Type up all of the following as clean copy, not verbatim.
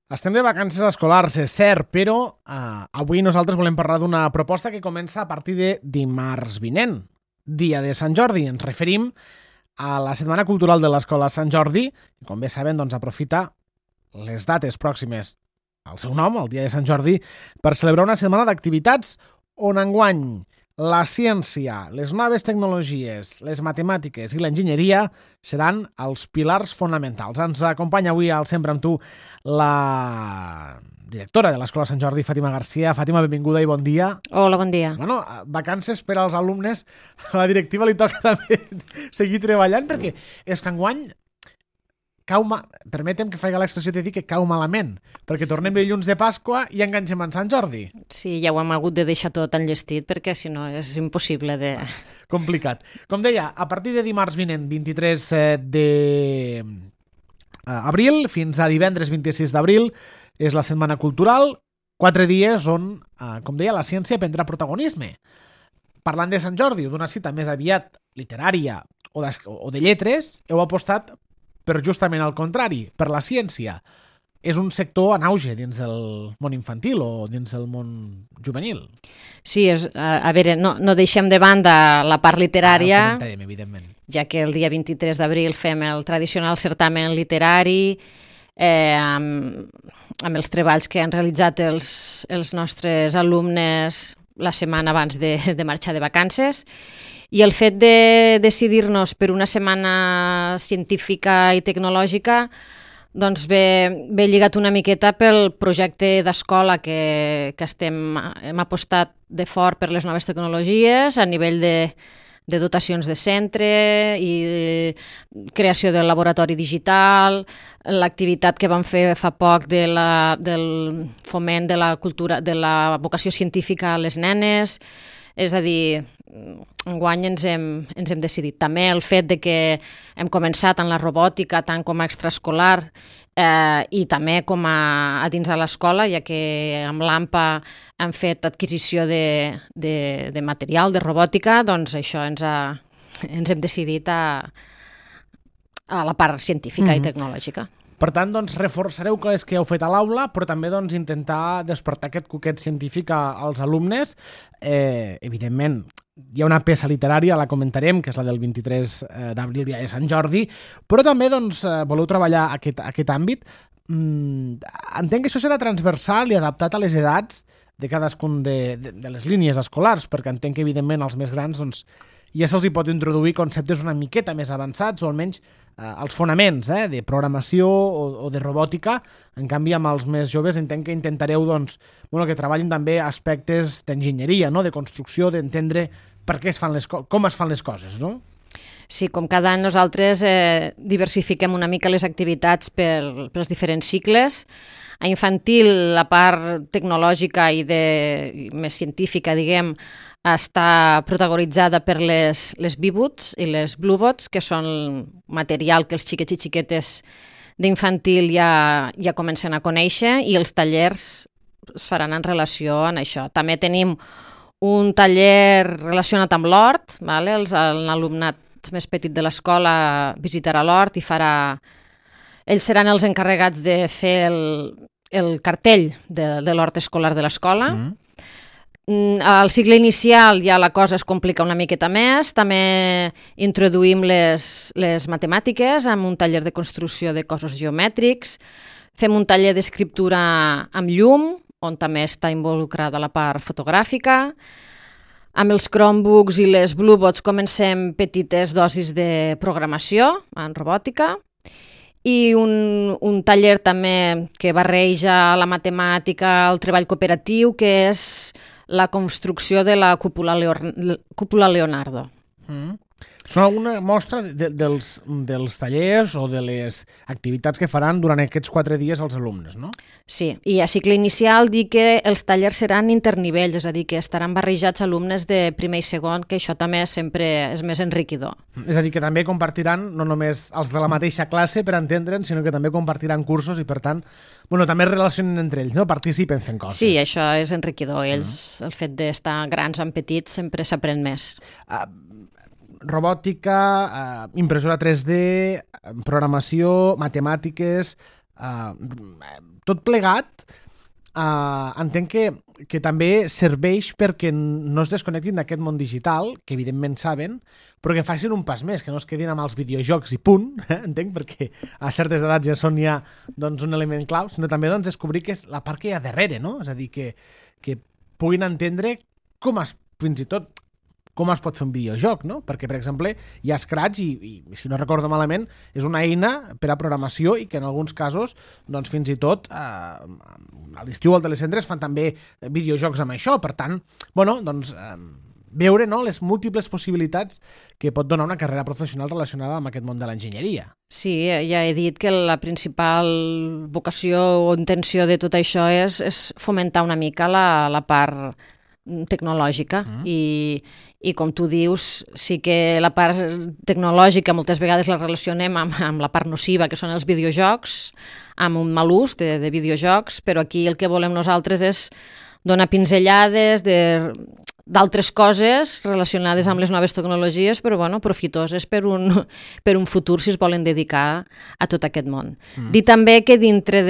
Estem de vacances escolars, és cert, però avui nosaltres volem parlar d'una proposta que comença a partir de dimarts vinent, dia de Sant Jordi. Ens referim a la Setmana Cultural de l'Escola Sant Jordi, i com bé saben, doncs, aprofita les dates pròximes al seu nom, el dia de Sant Jordi, per celebrar una setmana d'activitats on enguany la ciència, les noves tecnologies, les matemàtiques i l'enginyeria seran els pilars fonamentals. Ens acompanya avui al Sempre amb tu la directora de l'Escola Sant Jordi, Fàtima Garcia. Fàtima, benvinguda i bon dia. Hola, bon dia. Bueno, vacances per als alumnes. A la directiva li toca també seguir treballant, perquè és que enguany permetem que faci l'expressió de dir que cau malament, perquè tornem dilluns de Pasqua i enganxem en Sant Jordi. Sí, ja ho hem hagut de deixar tot enllestit, perquè si no és impossible de... Complicat. Com deia, a partir de dimarts vinent, 23 d'abril, fins a divendres 26 d'abril, és la Setmana Cultural, 4 dies on, com deia, la ciència prendrà protagonisme. Parlant de Sant Jordi, d'una cita més aviat literària o de lletres, heu apostat per justament al contrari, per la ciència. És un sector en auge dins del món infantil o dins del món juvenil. Sí, a veure, no deixem de banda la part literària, Comentarem, evidentment. ja que el dia 23 d'abril fem el tradicional certamen literari, amb els treballs que han realitzat els nostres alumnes la setmana abans de marxar de vacances. I el fet de decidir-nos per una setmana científica i tecnològica doncs ve lligat una miqueta pel projecte d'escola que hem apostat de fort per les noves tecnologies a nivell de dotacions de centre i creació del laboratori digital, l'activitat que vam fer fa poc del foment de la cultura, de la vocació científica a les nenes. És a dir, enguany ens hem decidit. També el fet de que hem començat en la robòtica tant com a extraescolar i també com a dins de l'escola, ja que amb l'AMPA hem fet adquisició de material de robòtica, doncs això ens hem decidit a la part científica i tecnològica. Per tant, doncs, reforçareu coses que heu fet a l'aula, però també doncs, intentar despertar aquest coquet científic als alumnes. Evidentment, hi ha una peça literària, la comentarem, que és la del 23 d'abril, dia de Sant Jordi, però també doncs, voleu treballar aquest àmbit. Entenc que això serà transversal i adaptat a les edats de cadascun de les línies escolars, perquè entenc que, evidentment, els més grans doncs, ja se'ls hi pot introduir conceptes una miqueta més avançats, o almenys els fonaments de programació o de robòtica. En canvi, amb els més joves entenc que intentareu que treballin també aspectes d'enginyeria, no? De construcció, d'entendre per què com es fan les coses, no? Sí, com cada any nosaltres diversifiquem una mica les activitats pels diferents cicles. A infantil, la part tecnològica i més científica, diguem, està protagonitzada per les B-Boots i les Bluebots, que són material que els xiquets i xiquetes d'infantil ja comencen a conèixer, i els tallers es faran en relació amb això. També tenim un taller relacionat amb l'hort, l'alumnat més petit de l'escola visitarà l'hort i ells seran els encarregats de fer el cartell de l'hort escolar de l'escola. Al cicle inicial ja la cosa es complica una miqueta més. També introduïm les matemàtiques amb un taller de construcció de cossos geomètrics. Fem un taller d'escriptura amb llum, on també està involucrada la part fotogràfica. Amb els Chromebooks i les Bluebots comencem petites dosis de programació en robòtica. I un taller també que barreja la matemàtica, el treball cooperatiu, que és la construcció de la cúpula Leonardo. Són alguna mostra dels tallers o de les activitats que faran durant aquests 4 dies els alumnes, no? Sí, i a cicle inicial dir que els tallers seran internivells, és a dir, que estaran barrejats alumnes de primer i segon, que això també sempre és més enriquidor. És a dir, que també compartiran no només els de la mateixa classe per entendre'n, sinó que també compartiran cursos i, per tant, també es relacionen entre ells, no? Participen fent coses. Sí, això és enriquidor. Ells, el fet d'estar grans amb petits, sempre s'aprèn més. Robòtica, impressora 3D, programació, matemàtiques, Tot plegat, entenc que també serveix perquè no es desconnectin d'aquest món digital, que evidentment saben, però que facin un pas més, que no es quedin amb els videojocs i punt, entenc, perquè a certes edats ja són ja un element clau, sinó també descobrir que és la part que hi ha darrere, no? És a dir, que puguin entendre fins i tot com es pot fer un videojoc, no? Perquè, per exemple, hi ha Scratch i si no recordo malament, és una eina per a programació i que en alguns casos, fins i tot, a l'estiu al Telecentre es fan també videojocs amb això. Per tant, veure les múltiples possibilitats que pot donar una carrera professional relacionada amb aquest món de l'enginyeria. Sí, ja he dit que la principal vocació o intenció de tot això és fomentar una mica la part tecnològica i com tu dius, sí que la part tecnològica moltes vegades la relacionem amb la part nociva, que són els videojocs, amb un mal ús de videojocs, però aquí el que volem nosaltres és donar pinzellades d'altres coses relacionades amb les noves tecnologies, però profitoses per un futur si es volen dedicar a tot aquest món. Dir també que dintre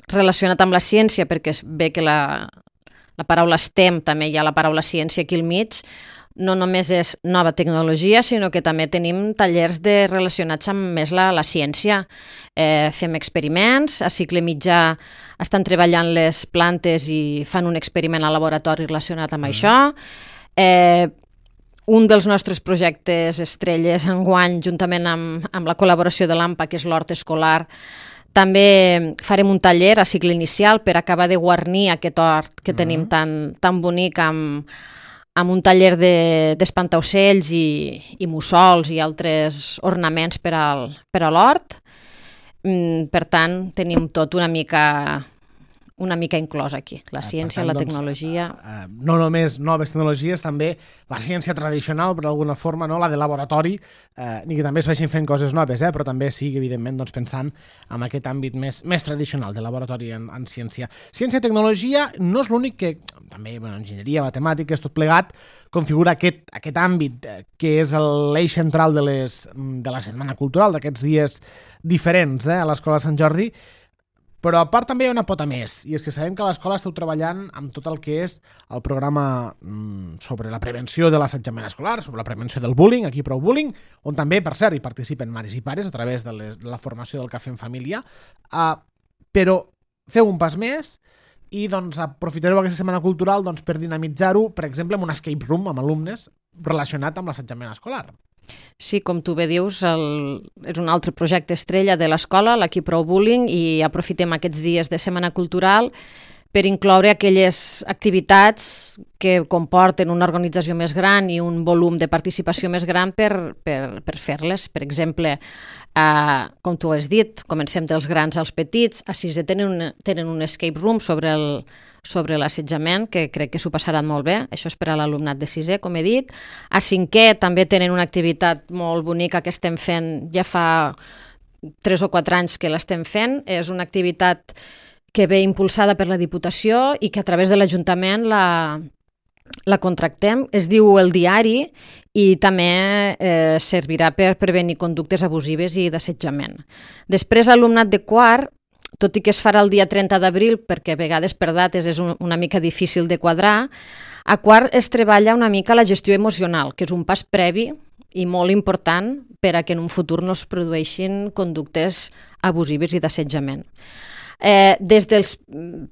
relacionat amb la ciència, perquè es ve que la paraula STEM, també hi ha la paraula ciència aquí al mig, no només és nova tecnologia, sinó que també tenim tallers relacionats amb més la ciència. Fem experiments, a cicle mitjà estan treballant les plantes i fan un experiment al laboratori relacionat amb això. Un dels nostres projectes estrelles enguany, juntament amb la col·laboració de l'AMPA, que és l'hort escolar, també farem un taller a cicle inicial per acabar de guarnir aquest hort que tenim tan bonic amb un taller d'espantaocells i mussols i altres ornaments per a l'hort. Per tant, tenim tot una mica inclòs aquí, la ciència, la tecnologia. No només noves tecnologies, també la ciència tradicional, per alguna forma, la de laboratori, ni que també es vagin fent coses noves, però també sigui, evidentment, pensant en aquest àmbit més tradicional de laboratori en ciència. Ciència i tecnologia no és l'únic que, també, enginyeria, matemàtiques, tot plegat, configura aquest àmbit que és l'eix central de la Setmana Cultural, d'aquests dies diferents a l'Escola Sant Jordi. Però a part també hi ha una pota més, i és que sabem que a l'escola esteu treballant amb tot el que és el programa sobre la prevenció de l'assetjament escolar, sobre la prevenció del bullying, aquí Prou Bullying, on també, per cert, hi participen mares i pares a través de la formació del Cafè en Família, però feu un pas més i aprofitareu aquesta setmana cultural per dinamitzar-ho, per exemple, amb un escape room amb alumnes relacionat amb l'assetjament escolar. Sí, com tu bé dius, és un altre projecte estrella de l'escola, l'Equip Prou Bullying, i aprofitem aquests dies de Setmana Cultural per incloure aquelles activitats que comporten una organització més gran i un volum de participació més gran per fer-les. Per exemple, com tu has dit, comencem dels grans als petits. A sisè tenen un escape room sobre l'assetjament, que crec que s'ho passaran molt bé. Això és per a l'alumnat de sisè, com he dit. A cinquè també tenen una activitat molt bonica que estem fent, ja fa 3 o 4 anys que l'estem fent. És una activitat que ve impulsada per la Diputació i que a través de l'Ajuntament la contractem. Es diu El Diari i també servirà per prevenir conductes abusives i d'assetjament. Després, l'alumnat de quart, tot i que es farà el dia 30 d'abril, perquè a vegades per dates és una mica difícil de quadrar, a quart es treballa una mica la gestió emocional, que és un pas previ i molt important per a que en un futur no es produeixin conductes abusives i d'assetjament. Des dels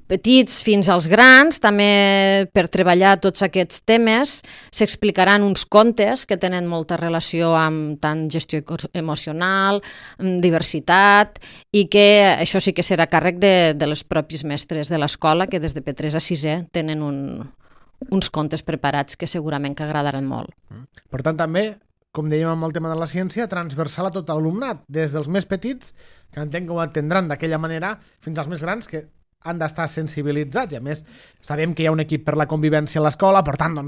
petits fins als grans, també per treballar tots aquests temes, s'explicaran uns contes que tenen molta relació amb tant gestió emocional, diversitat, i que això sí que serà càrrec de les propis mestres de l'escola, que des de P3 a 6è tenen uns contes preparats que segurament que agradaran molt. Per tant, també, com dèiem amb el tema de la ciència, transversal a tot l'alumnat, des dels més petits, que entenc que ho entendran d'aquella manera, fins als més grans, que han d'estar sensibilitzats. I a més, sabem que hi ha un equip per la convivència a l'escola, per tant,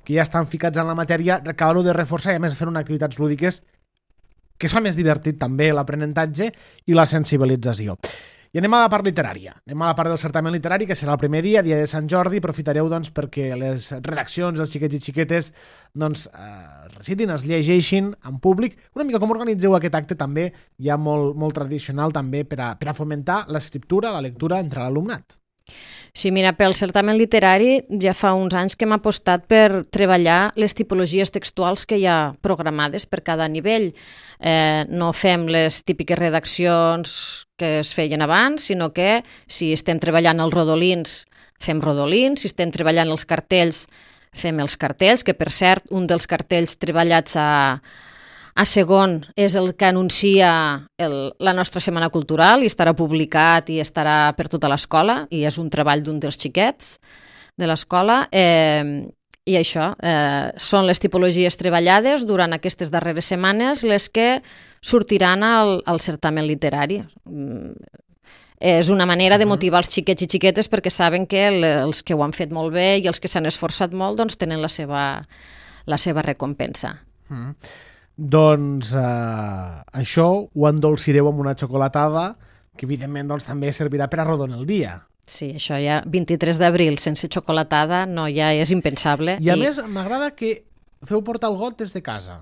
que ja estan ficats en la matèria, acabar-ho de reforçar i a més fer unes activitats lúdiques que es fa més divertit també l'aprenentatge i la sensibilització. I anem a la part literària. Anem a la part del certamen literari, que serà el primer dia de Sant Jordi. Aprofitareu doncs, perquè les redaccions, els xiquets i xiquetes, doncs, recitin, es llegeixin en públic. Una mica com organitzeu aquest acte també, ja molt tradicional també, per a fomentar l'escriptura, la lectura entre l'alumnat. Sí, mira, pel certamen literari ja fa uns anys que hem apostat per treballar les tipologies textuals que hi ha programades per cada nivell. No fem les típiques redaccions que es feien abans, sinó que si estem treballant els rodolins, fem rodolins, si estem treballant els cartells, fem els cartells, que per cert, un dels cartells treballats a segon és el que anuncia la nostra Setmana Cultural i estarà publicat i estarà per tota l'escola i és un treball d'un dels xiquets de l'escola i això, són les tipologies treballades durant aquestes darreres setmanes les que sortiran al certamen literari. És una manera de motivar els xiquets i xiquetes perquè saben que els que ho han fet molt bé i els que s'han esforçat molt doncs tenen la seva recompensa. Doncs això ho endolcireu amb una xocolatada que evidentment doncs, també servirà per arrodonir el dia. Sí, això ja 23 d'abril sense xocolatada no, ja és impensable. I a més m'agrada que feu portar el got des de casa.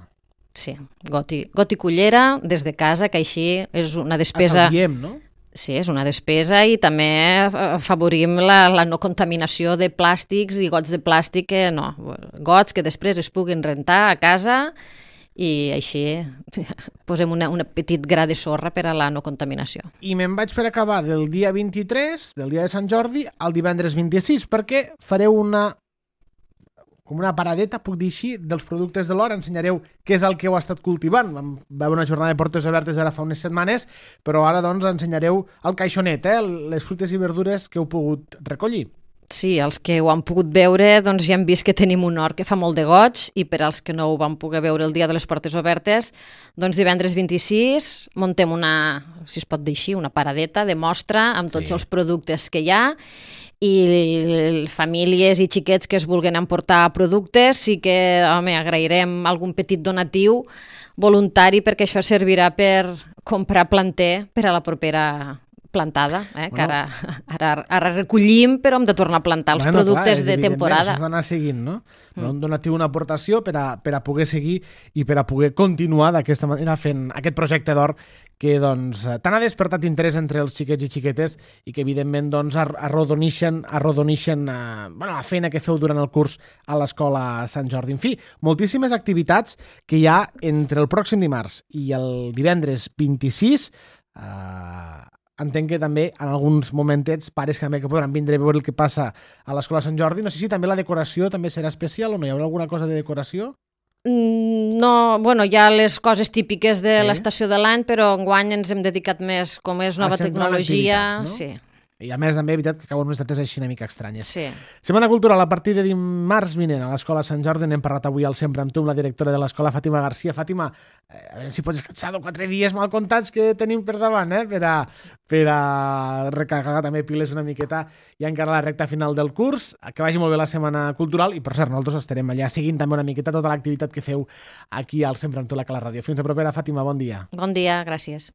Sí, got i cullera des de casa, que així és una despesa... Estalviem, no? Sí, és una despesa i també afavorim la no contaminació de plàstics i gots de plàstic que no, gots que després es puguin rentar a casa i així posem un petit gra de sorra per a la no contaminació. I me'n vaig per acabar del dia 23, del dia de Sant Jordi, al divendres 26, perquè fareu com una paradeta, puc dir així, dels productes de l'hora. Ensenyareu què és el que heu estat cultivant. Va haver una jornada de portes obertes ara fa unes setmanes, però ara doncs ensenyareu el caixonet, les fruites i verdures que heu pogut recollir. Sí, els que ho han pogut veure doncs ja hem vist que tenim un hort que fa molt de goig i per als que no ho van poder veure el dia de les portes obertes, doncs divendres 26 muntem si es pot dir així, una paradeta de mostra amb tots els productes que hi ha i famílies i xiquets que es vulguin emportar productes sí que, agrairem algun petit donatiu voluntari perquè això servirà per comprar planter per a la propera plantada, que ara recollim, però hem de tornar a plantar els productes de temporada. Això s'ha d'anar seguint, no? Un donatiu, una aportació per a poder seguir i per a poder continuar d'aquesta manera fent aquest projecte d'or que doncs, tant ha despertat interès entre els xiquets i xiquetes i que evidentment doncs, arrodonixen la feina que feu durant el curs a l'Escola Sant Jordi. En fi, moltíssimes activitats que hi ha entre el pròxim dimarts i el divendres 26. Entenc que també en alguns momentets pares que podran vindre a veure el que passa a l'Escola Sant Jordi. No sé si també la decoració també serà especial o no hi haurà alguna cosa de decoració? No, hi ha les coses típiques de l'estació de l'any, però enguany ens hem dedicat més, com és nova tecnologia. No? Sí. I a més també, és veritat, que acaben unes dates així una mica estranyes. Sí. Setmana Cultural a partir de dimarts vinent a l'Escola Sant Jordi. N'hem parlat avui al Sempre amb tu, amb la directora de l'Escola, Fàtima Garcia. Fàtima, a veure si pots descansar 4 dies mal comptats que tenim per davant, per a recarregar també piles una miqueta i encara la recta final del curs. Que vagi molt bé la Setmana Cultural i, per cert, nosaltres estarem allà seguint també una miqueta tota l'activitat que feu aquí al Sempre amb tu, la Cala Ràdio. Fins a propera, Fàtima, bon dia. Bon dia, gràcies.